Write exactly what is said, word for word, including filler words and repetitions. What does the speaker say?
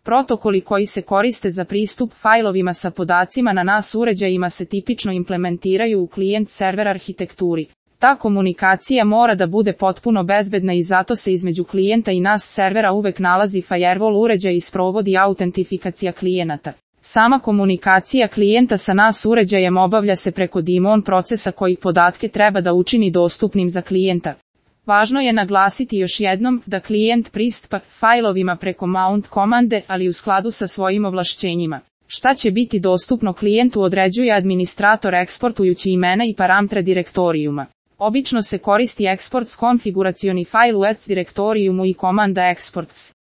Protokoli koji se koriste za pristup fajlovima sa podacima na NAS uređajima se tipično implementiraju u klijent-server arhitekturi. Ta komunikacija mora da bude potpuno bezbedna i zato se između klijenta i NAS servera uvek nalazi firewall uređaj i sprovodi autentifikacija klijenata. Sama komunikacija klijenta sa NAS uređajem obavlja se preko daemon procesa koji podatke treba da učini dostupnim za klijenta. Važno je naglasiti još jednom da klijent pristupa fajlovima preko mount komande, ali u skladu sa svojim ovlašćenjima. Šta će biti dostupno klijentu određuje administrator eksportujući imena i parametre direktorijuma. Obično se koristi exports konfiguracioni fajl u ets direktorijumu i komanda exports.